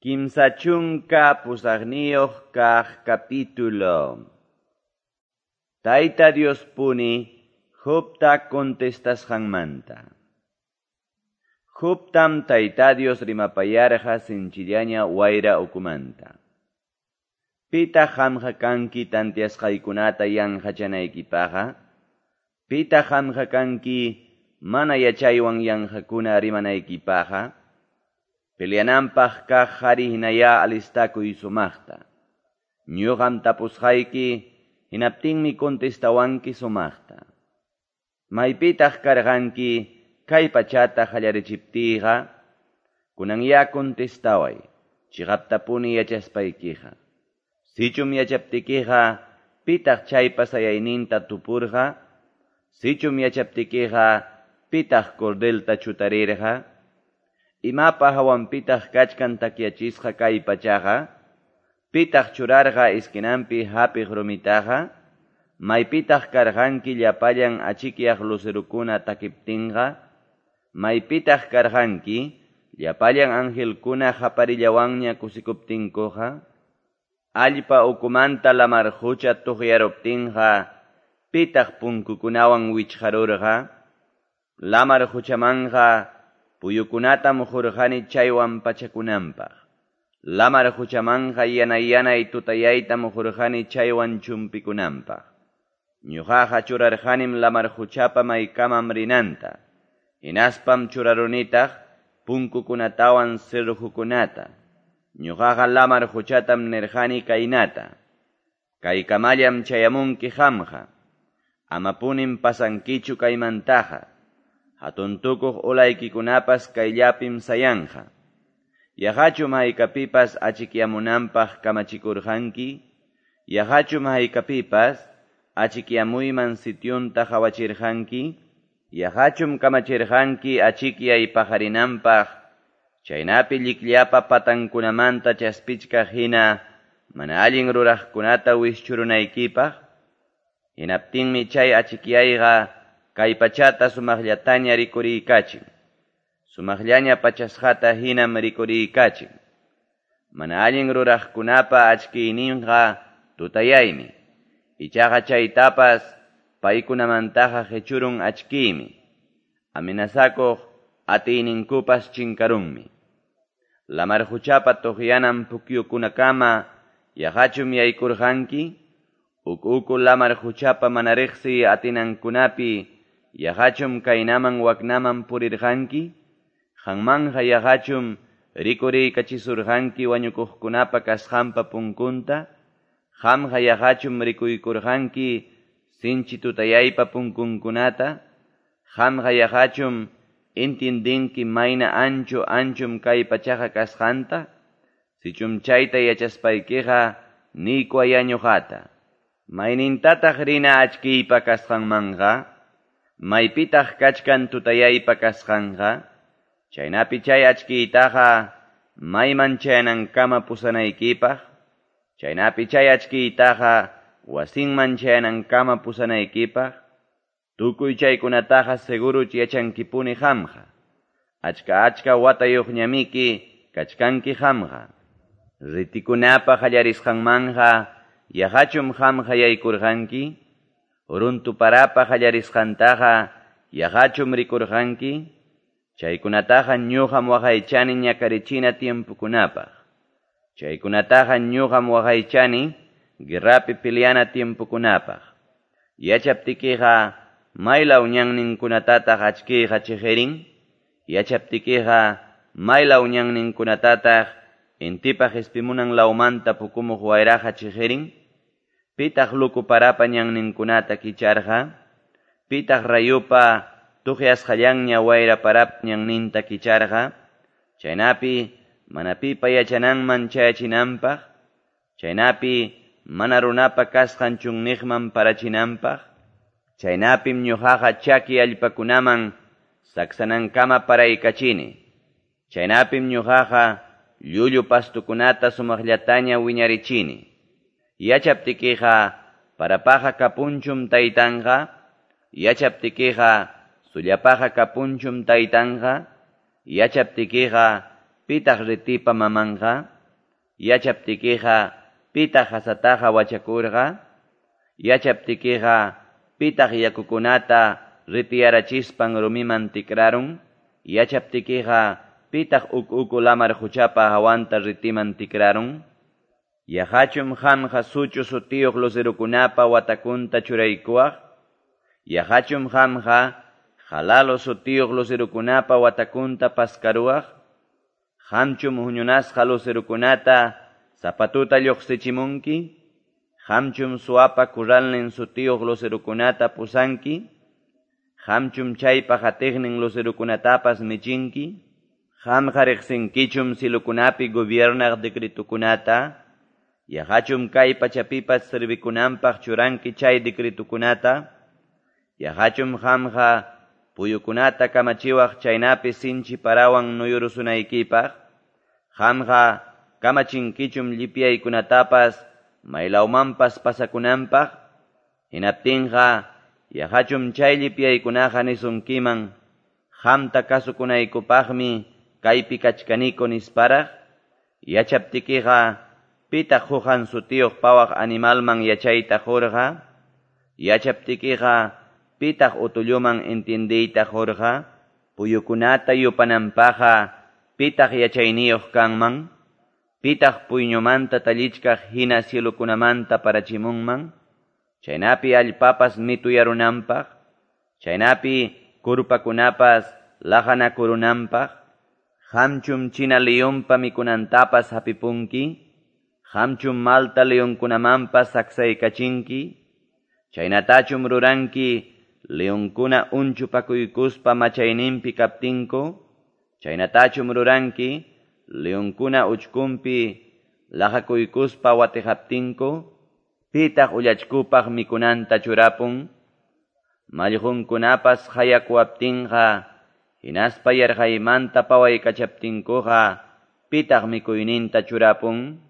38 kaq capítulo. Tayta Diospuni Jobta contestasqanmanta. Jobtam Tayta Dios rimapayarqa sinchillaña wayra ukumanta. Pitaq qamqa kanki tanteasqaykunata yanqachanaykipaqqa? Pitaq qamqa kanki mana yachaywan yanqakuna rimanaykipaqqa? Peleananpaq kaq qhari hinayá alistakuy sumaqta. Ñuqam tapusqayki, hinaptinmi contestawanki sumaqta. Maypitaq karqanki kay pachata qallarichiptiyqa? Kunanyá contestaway, chiqaptapuni yachaspaykiqa. Sichum yachaptikiqa, pitaq chaypa sayayninta tupurqa? Sichum yachaptikiqa, pitaq cordelta chutarirqa? Imapa hawanpitaq kachkan takyachisqa kay pachaqa? Pitaq churarqa esquinanpi hapiq rumitaqa? Maypitaq karqanki llapallan achikyaq lucerukuna takiptinqa? Maypitaq karqanki llapallan angelkuna qaparillawanña kusikuptinkuqa? Allpa ukumanta lamar qucha tuqyaruptinqa, pitaq punkukunawan wichqarurqa? Lamar quchamanqa puyukunatam qurqani chaywan pachakunanpaq. Lamar quchamanqa yanay tutayaytam qurqani chaywan chumpikunanpaq. Ñuqaqa churarqanim lamar quchapa maykamam rinanta. Hinaspam churarunitaq punkukunatawan cerrojukunata. Ñuqaqa lamar quchatam nirqani kaynata. Kaykamallam chayamunki qamqa. Amapunim pasankichu kaymantaqa. Hatun tukuq ulaykikunapas kayllapim sayanqa. Yaqachum haykapipas achikyamunanpaq kamachikurqanki? Yaqachum haykapipas achikyamuyman sityunta qhawachirqanki? Yaqachum kamachirqanki achikyay paqarinanpaq, chaynapi llikllapa patankunamanta chaspichkaq hina mana allin ruraqkunata wischurunaykipaq? Hinaptinmi chay achikyayqa kay pachata sumaqllataña rikuriykachin. Sumaqllaña pachasqata hinam rikuriykachin. Mana allin ruraqkunapa achkiyninqa tutayaymi. Ichaqa chaytapas paykunamantaqa qechurun achkiymi. Amenazakuq atiyninkupas chinkarunmi. Lamar quchapa tuqyanan pukyukunakama yaqachum yaykurqanki? Uku uku lamar quchapa mana riqsiy atinankunapi yaqachum kaynaman waknaman purirqanki? Qanmanqa yaqachum rikuriykachisurqanki wañukuqkunapa kasqanpa punkunta? Qamqa yaqachum rikuykurqanki sinchi tutayaypa punkunkunata? Qamqa yaqachum intindinki mayna ancho anchum kay pachaqa kasqanta? Sichum chayta yachaspaykiqa niykuwayá ñuqata. Maynintataq rina achkiypa kasqanmanqa? Maypitaq kachkan tutayaypa kasqanqa? Chaynapi chay achkiytaqa mayman chayanankama pusanaykipaq? Chaynapi chay achkiytaqa wasinman chayanankama pusanaykipaq? Tukuy chaykunataqa seguruch yachankipuni qamqa. Achka achka watayuqñamiki kachkanki qamqa. Ritikunapa qallarisqanmanqa yaqachum qamqa yaykurqanki? Runtu parapa qallarisqantaqa yaqachum rikurqanki? Chaykunataqa ñuqam waqaychani ñakarichina tiempukunapaq. Chaykunataqa ñuqam waqaychani guerrapi peleana tiempukunapaq. Yachaptikiqa maylaw ñanninkunatataq achkiyqa chiqirin? Yachaptikiqa maylaw ñanninkunatataq intipa qispimunan lawmanta pukumuq wayraqa chiqirin? Pitaq luku parapa ñanninkunata kicharqa? Pitaq rayupa tuqyasqallanña wayra parap ñanninta kicharqa? Chaynapi mana pipa yachananman chayachinanpaq? Chaynapi mana runapa kasqan chunniqman parachinanpaq? Chaynapim ñuqaqa chaki allpakunaman saksanankama paraykachini. Chaynapim ñuqaqa llullu pastukunata sumaqllataña wiñarichini. Yachaptikiqa parapaqa kapunchum taytanqa? Yachaptikiqa sullapaqa kapunchum taytanqa? Yachaptikiqa pitaq ritipa mamanqa? Yachaptikiqa, pitaq qasataqa wachakurqa? Yachaptikiqa, pitaq yakukunata ritiyarachispan rumiman tikrarun? Yachaptikiqa, pitaq uku-uku lamar quchapa hawanta ritiman tikrarun? Yaqachum qamqa suchu sutiyuq lucerokunapa watakunta churaykuwaq? Yaqachum qamqa jalalo sutiyuq lucerokunapa watakunta paskaruwaq? Qamchum huñunasqa lucerokunata sapatuta lluqsichimunki? Qamchum suapa kuralnin sutiyuq lucerokunata pusanki? Qamchum chaypa qatiqnin lucerokunatapas michinki? Qamqa riqsinkichum cilokunapi gobiernaq decretukunata? Yaqachum kay pachapipas servikunanpaq churanki chay decretukunata? Yaqachum qamqa puyukunata kamachiwaq chaynapi sinchi parawan nuyurusunaykipaq? Qamqa kamachinkichum llipyaykunatapas maylawmanpas pasakunanpaq? Hinaptinqa yaqachum chay llipyaykunaqa nisunkiman qamta kasukunaykupaqmi kaypi kachkaniko nisparaq? Yachaptikiqa, pitaq huqan sutiyuq pawaq animalman yachayta qurqa? Yachaptikiqa, pitaq utulluman entiendeyta qurqa? Puyukunata yupananpaqqa, pitaq yachayniyuq kanman? Pitaq puyñumanta tallichkaq hina cielokunamanta parachimunman? Chaynapi allpapas mituyarunanpaq, chaynapi kurpakunapas laqanakurunanpaq? Qamchum china leonpa mikunantapas hapipunki? Qamchum malta leonkunamanpas saksaykachinki? Chaynatachum ruranki leonkuna unchupakuykuspa machayninpi kaptinku? Chaynatachum ruranki leonkuna uchkunpi laqakuykuspa watiqaptinku? Pitaq ullachkupaq mikunanta churapun? Mallqunkunapas hayakuwaptinqa, hinaspa yarqaymanta pawaykachaptinkuqa, pitaq mikuyninta churapun?